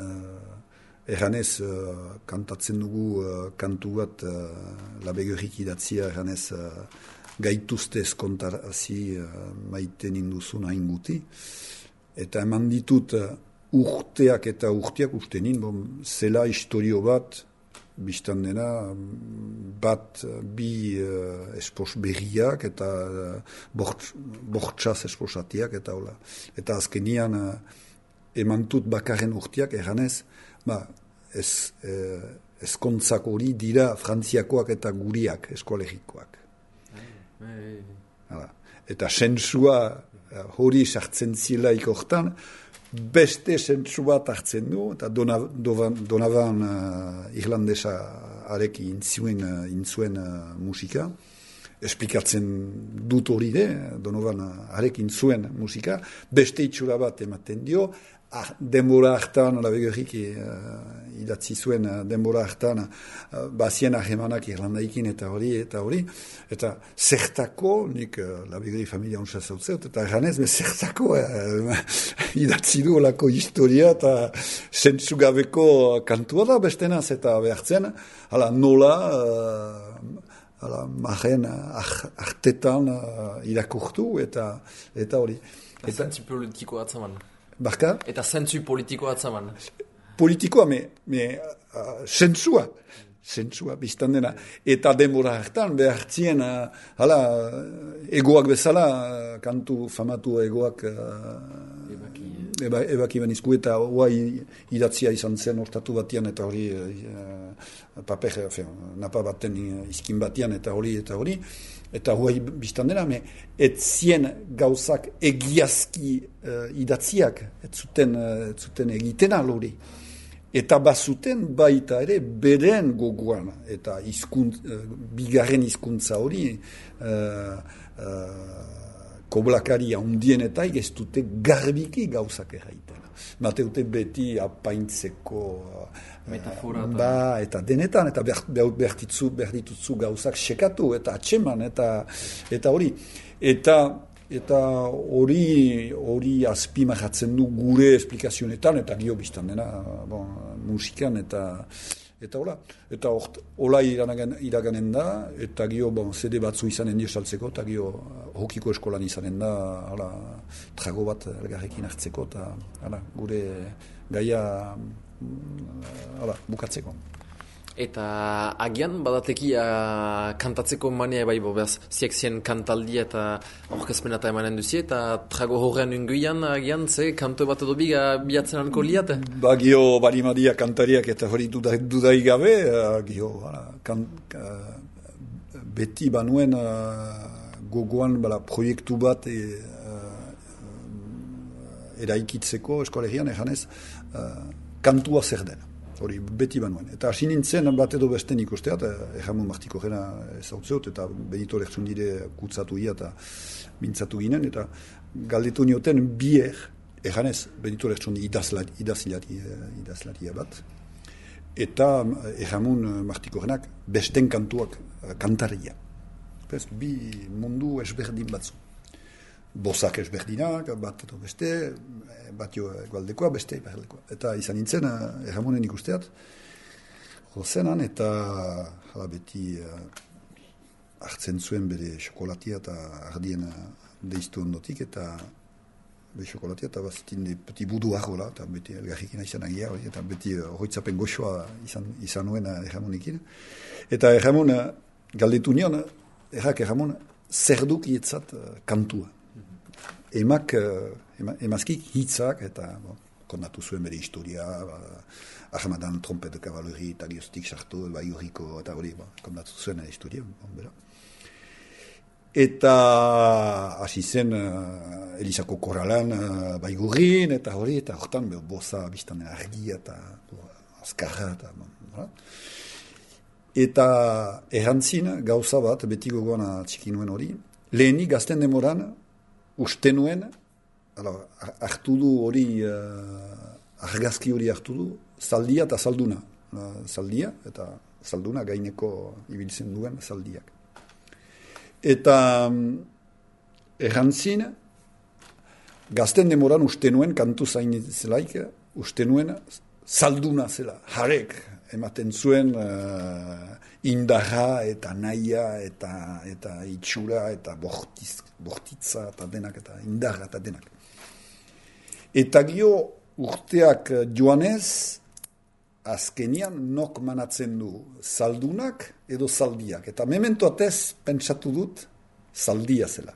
uh, erganez, uh, kantatzen dugu uh, kantu bat, uh, labegerik idatzia, erganez, uh, gaituzte eskontarasi uh, maiten induzun hain guti, eta eman ditut uh, urteak eta urteak uste nin, bon, zela historio bat, biztan dena, bat bi uh, espos berriak eta uh, bortxaz esposatiak eta hola. Eta azkenian uh, emantut bakarren urteak erganez, ba, ez, eh, ezkontzak hori dira frantziakoak eta guriak eskolegikoak. Hala. Eta sentsua uh, hori sartzen zilaik hortan, beste sentsu bat hartzen du, eta Donovan, Donovan uh, irlandesa areki intzuen, uh, intzuen uh, musika, esplikatzen dut hori de, Donovan uh, areki intzuen musika, beste itxura bat ematen dio, ah, denbora hartan, labegerik uh, idatzi zuen uh, denbora hartan, uh, bazien ahemanak irlandaikin eta hori, eta hori, eta zertako, nik uh, labegerik familia onsa zautzeot, eta ganez, zertako uh, idatzi du olako historia, eta sentsugabeko kantua da bestenaz, eta behartzen, hala nola, uh, hala maren artetan uh, irakurtu, eta eta hori. Eta zentzu politiko atzaman. Barka? Eta zentzu politiko atzaman. Politikoa, me, me uh, sentsua, sentsua, biztan dena. Eta denbora hartan, behartzien, uh, hala, egoak bezala, uh, kantu famatu egoak, uh, ebaki, eba, ebaki benizku, eta hoa idatzia izan zen hortatu batian, eta hori, uh, paper, fe, napa baten izkin batian, eta hori, eta hori, eta huai biztan dena, me, et zien gauzak egiazki uh, idatziak, et zuten, uh, et zuten egitena lori. Eta bazuten baita ere beren gogoan, eta izkunt, uh, bigarren hizkuntza hori, uh, uh, koblakari handien eta ez dute garbiki gauzak erraiten. Mateute beti apaintzeko metafora ba, eta denetan, eta bertitzu, bertitutzu gauzak sekatu, eta atxeman, eta eta hori. Eta eta hori hori azpimarratzen du gure esplikazionetan, eta gio biztan dena, bon, musikan, eta eta hola. Eta hort, hola iraganen, iraganen da, eta gio, bon, zede batzu izanen dio saltzeko, eta gio hokiko eskolan izanen da, hala, trago bat elgarrekin hartzeko, eta hala, gure gaia hala, bukatzeko. Eta agian badatekia kantatzeko mania bai bo, behaz, ziek zien kantaldia eta orkezpena eta emanen duzie, eta trago horrean unguian agian, ze, kanto bat edo biga biatzen anko liate? Ba, gio, balimadia kantariak eta hori dudai, dudai gabe, uh, gio, hala, kan, uh, beti banuen uh, gogoan, bala, proiektu bat e, uh, eraikitzeko eskolegian, eganez, uh, kantua zer dena. Hori beti banuen. Eta hasi nintzen bat edo besten ikusteat, Erramon Martiko jena ezautzeot, eta Benito Lertxundire kutzatu ia eta mintzatu ginen, eta galdetu nioten bier, eganez, Benito Lertxundi idazlaria idazlari, idazlari bat, eta Erramon Martiko jenak besten kantuak kantaria. Bez, bi mundu esberdin batzu. Bozak ezberdinak, bat edo beste, bat jo egualdekoa, beste iparaldekoa. Eta izan nintzen, Erramonen ikusteat, jozenan, eta jala beti uh, hartzen zuen bere xokolatia eta ardien uh, deiztu ondotik, eta bere xokolatia, eta bazitin de peti budu arrola, eta beti elgarrikina izan agia, eta beti horretzapen uh, goxoa izan, izan nuen uh, Erramonekin. Eta Erramon, uh, galdetu nion, errak Erramon, zer duk ietzat uh, kantua. Emak, ema, emazkik hitzak eta bon, kondatu zuen bere historia, ba, ahamadan trompet de kavaleri eta gioztik sartu, bai hurriko eta hori, ba, kondatu zuen historia, bon, bera. Eta hasi zen uh, Elizako korralan uh, baigurrin, eta hori, eta hortan boza biztan argia eta azkarra, eta bon, eta errantzin gauza bat, beti gogoan txiki nuen hori, lehenik gazten demoran, uste nuen, hartu du hori, uh, argazki hori hartu du, zaldia eta zalduna. Uh, zaldia eta zalduna gaineko ibiltzen duen zaldiak. Eta um, errantzin, gazten demoran uste nuen, kantu zain zelaik, uste nuen zalduna zela, jarek, ematen zuen uh, indarra eta naia eta, eta itxura eta bortiz, bortitza eta denak eta indarra eta denak. Eta gio urteak joanez, azkenian nok manatzen du zaldunak edo zaldiak. Eta memento atez pentsatu dut zaldia zela.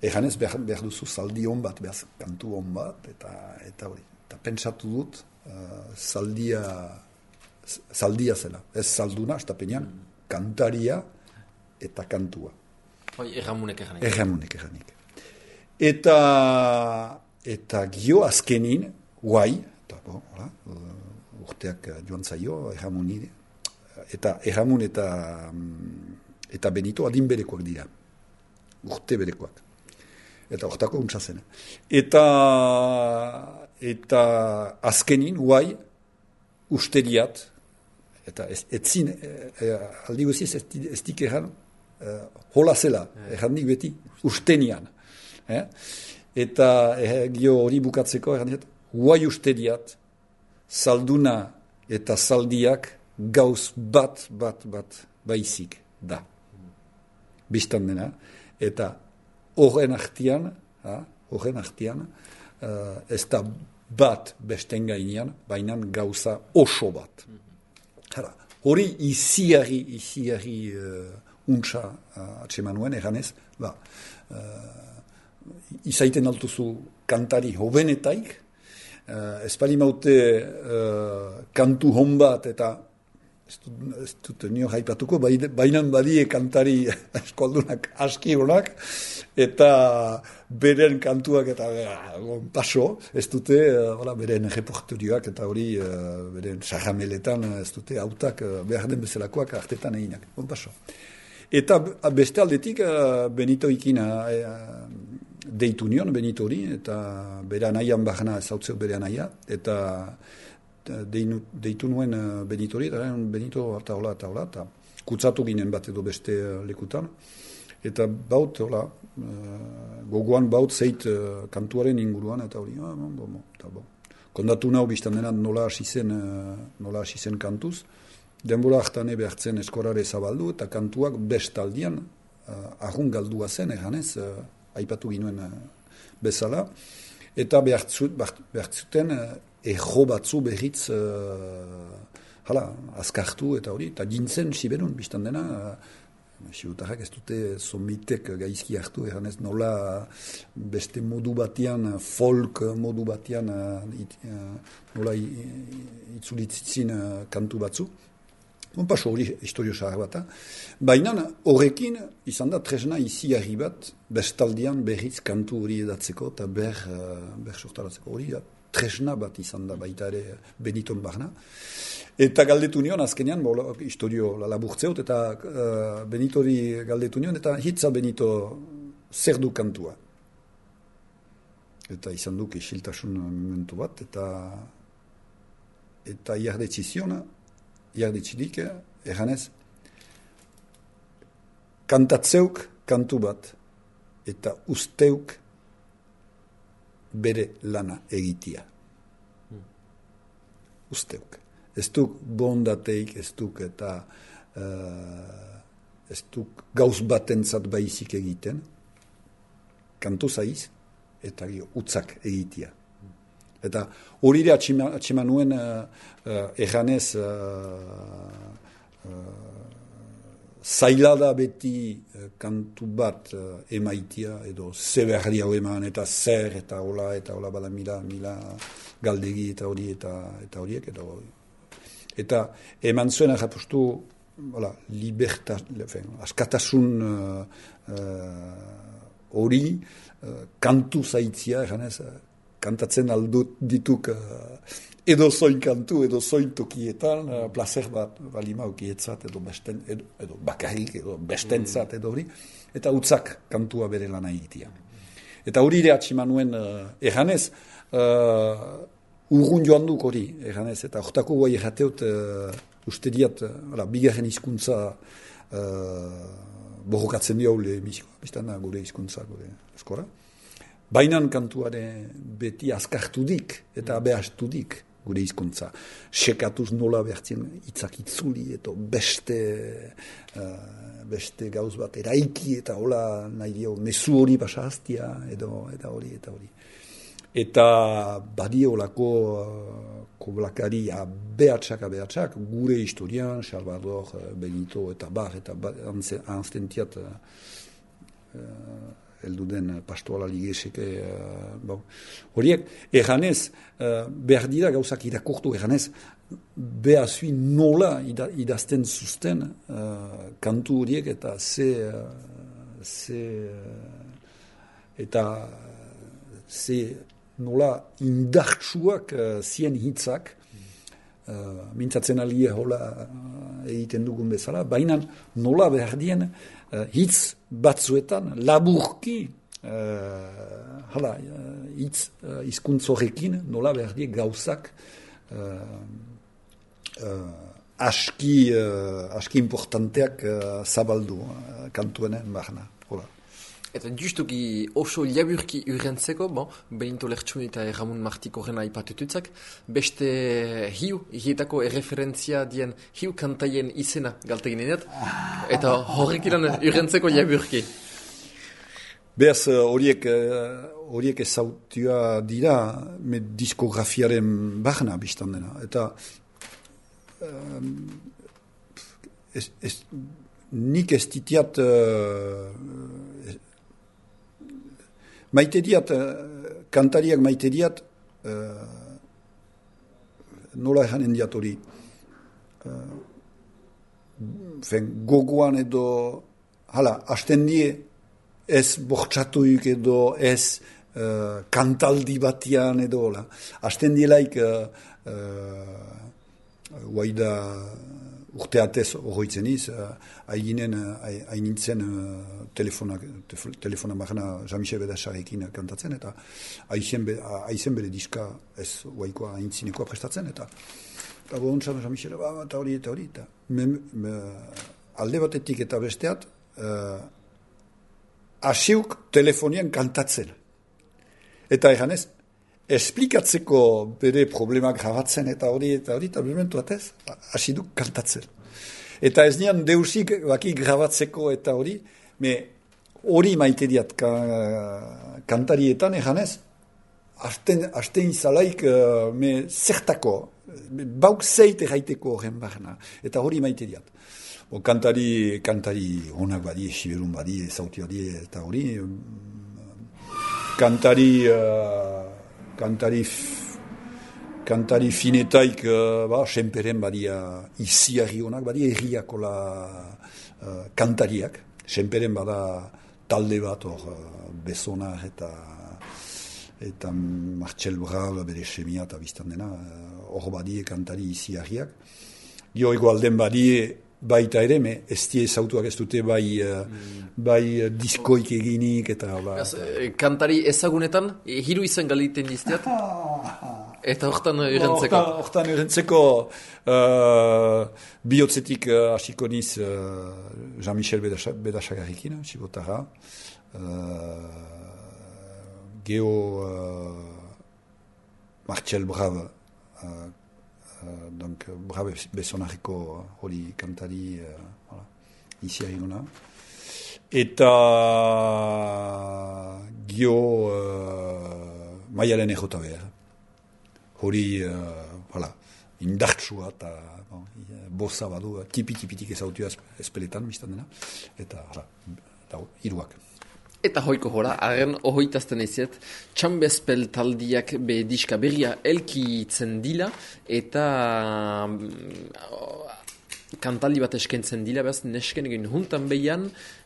Eganez behar, behar duzu zaldi hon bat, behar kantu hon bat, eta, eta hori. Eta pentsatu dut uh, zaldia, zaldia zela. Ez zalduna, estapenean, kantaria eta kantua. Hoi, erramunek erranik. Erramunek erranik. Eta, eta gio azkenin, guai, eta bo, hola, urteak joan zaio, erramuni, eta erramun eta, eta Benito adin berekoak dira. Urte berekoak. Eta hortako untsa zen. Eta, eta azkenin, guai, usteriat, eta ez, etzin, e, e, aldi guziz ez, ez dik erran, e, hola zela, errandik beti, ustenian. Eh? Eta eh, gio hori bukatzeko, errandik, guai usteriat, zalduna eta zaldiak gauz bat, bat, bat, baizik da. Bistan dena, eta horren artian, horren artian, uh, ez da bat besten gainean, baina gauza oso bat. Hara, hori iziari, iziari uh, untsa uh, atsemanuen, eganez, ba, uh, izaiten altuzu kantari hobenetaik, Uh, ez pali maute uh, kantu hon bat eta ez dut, ez dut nio haipatuko, bainan badie kantari eskoldunak aski honak eta beren kantuak eta uh, paso, ez dute uh, beren reporterioak eta hori uh, beren sahameletan ez dute autak uh, behar den bezalakoak artetan eginak, bon paso. Eta beste aldetik uh, Benito ikina uh, deitu nion, Benito hori, eta bere anaian bahana ezautzeu bere anaia, eta deinu, deitu nuen Benito hori, eta Benito eta hola, eta hola, eta kutsatu ginen bat edo beste lekutan, eta baut, hola, gogoan baut zeit kantuaren inguruan, eta hori, ah, bon, bon, eta bon. Kondatu nahu biztan dena nola hasi zen, nola hasi zen kantuz, denbora hartane behartzen eskorare zabaldu, eta kantuak bestaldian, ahun galdua zen, eganez, aipatu ginuen bezala, eta behartzuten erro batzu berriz uh, hala, azkartu eta hori, eta jintzen siberun, biztan dena, uh, siutarrak ez dute somitek gaizki hartu, eranez nola beste modu batian, folk modu batian, uh, it, uh, nola itzulitzitzin uh, kantu batzu. Bon, paso hori historio zahar bat. Baina horrekin izan da tresna iziarri bat bestaldian berriz kantu hori edatzeko eta ber, ber sortaratzeko hori tresna bat izan da baita ere Beniton barna. Eta galdetu nion azkenean, bo, historio laburtzeot eta uh, Benito hori galdetu nion eta hitza Benito zer du kantua. Eta izan duk isiltasun momentu bat eta eta iardetziziona jarditzidik, eganez, kantatzeuk kantu bat, eta usteuk bere lana egitia. Hmm. Usteuk. Ez duk bondateik, ez duk eta uh, ez duk gauz batentzat baizik egiten, kantu zaiz, eta gio, utzak egitia. Eta hori ere atxema nuen uh, uh, eganez uh, uh, zaila da beti uh, kantu bat uh, emaitia, edo zeberri hau eman, eta zer, eta hola, eta hola bada mila, mila galdegi eta hori, eta, eta horiek, edo, eta eman zuen agapustu, hola, liberta, askatasun hori, uh, uh, kantu zaitzia, eganez, uh, kantatzen aldut dituk uh, edo zoin kantu, edo zoin tokietan, uh, placer bat balima okietzat, edo, besten, edo, edo bakarrik, edo bestentzat, edo hori, eta utzak kantua bere lan egitea. Eta hori ere atximan nuen, uh, eganez, uh, urrun joan duk hori, eganez, eta hortako guai errateut, uh, uste diat, uh, bigarren hizkuntza uh, borrokatzen diaule emisikoa, biztana gure hizkuntza, gure eskora. Bainan kantuaren beti azkartudik eta abeastudik gure hizkuntza. Sekatuz nola behartzen hitzak itzuli eta beste, uh, beste gauz bat eraiki eta hola nahi dio mezu hori pasahaztia edo eta hori eta hori. Eta badio olako uh, koblakari abeatsak abeatsak gure historian, Salvador, Benito eta bar eta anztentiat uh, uh, eldu den pastoala ligeseke, uh, bon. Horiek, eganez, uh, behar dira gauzak irakurtu, eganez, behazui nola ida, idazten zuzten uh, kantu horiek eta ze, uh, ze uh, eta ze nola indartsuak uh, zien hitzak, uh, mintzatzen alie hola uh, egiten dugun bezala, baina nola behar dien uh, hitz batzuetan laburki uh, hala, uh, hitz uh, hizkuntz horrekin nola behar die gauzak uh, uh, aski, uh, aski importanteak uh, zabaldu uh, kantuenen barna. Hola. Eta justuki oso laburki urrentzeko, bon, Benito Lertxun eta Ramon Martiko rena ipatututzak, beste hiu, hietako erreferentzia dien hiu kantaien izena galtegin edat, eta horrek iran urrentzeko laburki. Beaz, horiek horiek ezautua dira, me diskografiaren barna biztan dena. Eta um, ez, ez, nik ez ditiat uh, maite diat, kantariak maite diat, uh, nola eganen diat hori, uh, fen, gogoan edo, hala, hasten die, ez bortxatuik edo, ez uh, kantaldi batian edo, hala, hasten dielaik, uh, uh, guaida, urteatez horretzen iz, haiginen, hainintzen telefona, telefona magana Jean-Michel Bedasarekin kantatzen, eta haizen be, bere diska ez guaikoa haintzinekoa prestatzen, eta eta bohontzan Jean-Michel, eta hori, eta hori, eta me, me, alde batetik eta besteat, uh, asiuk telefonian kantatzen. Eta eganez, esplikatzeko bere problemak grabatzen eta hori, eta hori, eta momentu batez, hasi duk kantatzen. Eta ez nian deusik baki grabatzeko eta hori, me hori maite diat ka, kantarietan eganez, hasten izalaik me zertako, bauk zeite gaiteko horren barna, eta hori maite diat. O, kantari, kantari honak badi, siberun badi, zauti hori, eta hori, kantari... Uh, Kantari, kantari finetaik, uh, ba, senperen badia iziarri honak, badia erriakola uh, kantariak. Senperen bada talde bat hor uh, Bezonar eta eta Martxel Brau bere semia eta biztan dena. Hor uh, badie kantari iziarriak. Gio egoalden badie baita ere, me ez die ezautuak ez dute bai, uh, mm. bai uh, diskoik eginik eta... Ba,Az, kantari ezagunetan, e, hiru izan galiten dizteat, eta hortan urrentzeko. Hortan urrentzeko uh, bihotzetik hasiko uh, niz uh, Jean-Michel Bedasagarrikin, Txibotara, uh, Geo uh, Martxel Brau, uh, Uh, donc Brave Bezonareko hori kantari uh, voilà, iziari gona. Eta Gio uh, Maialen ejota behar. Hori, uh, voilà, indartsua eta bon, boza badu, tipi-tipitik ezautua espeletan, biztan dena, eta da, hiruak. Eta hoiko jora, arren ohoitazten eziet, txambezpel taldiak be diska berria elkitzen dila, eta kantaldi bat eskentzen dila, behaz nesken egin juntan behian,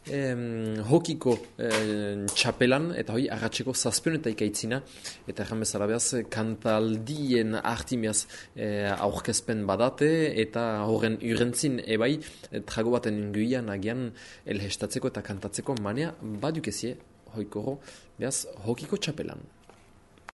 em, hokiko em, txapelan, eta hoi arratseko zazpion eta ikaitzina, eta erran bezala behaz kantaldien artimiaz e, aurkezpen badate, eta horren urentzin ebai, trago baten inguian agian elhestatzeko eta kantatzeko manea badukezie, hoiko ho, behaz hokiko txapelan.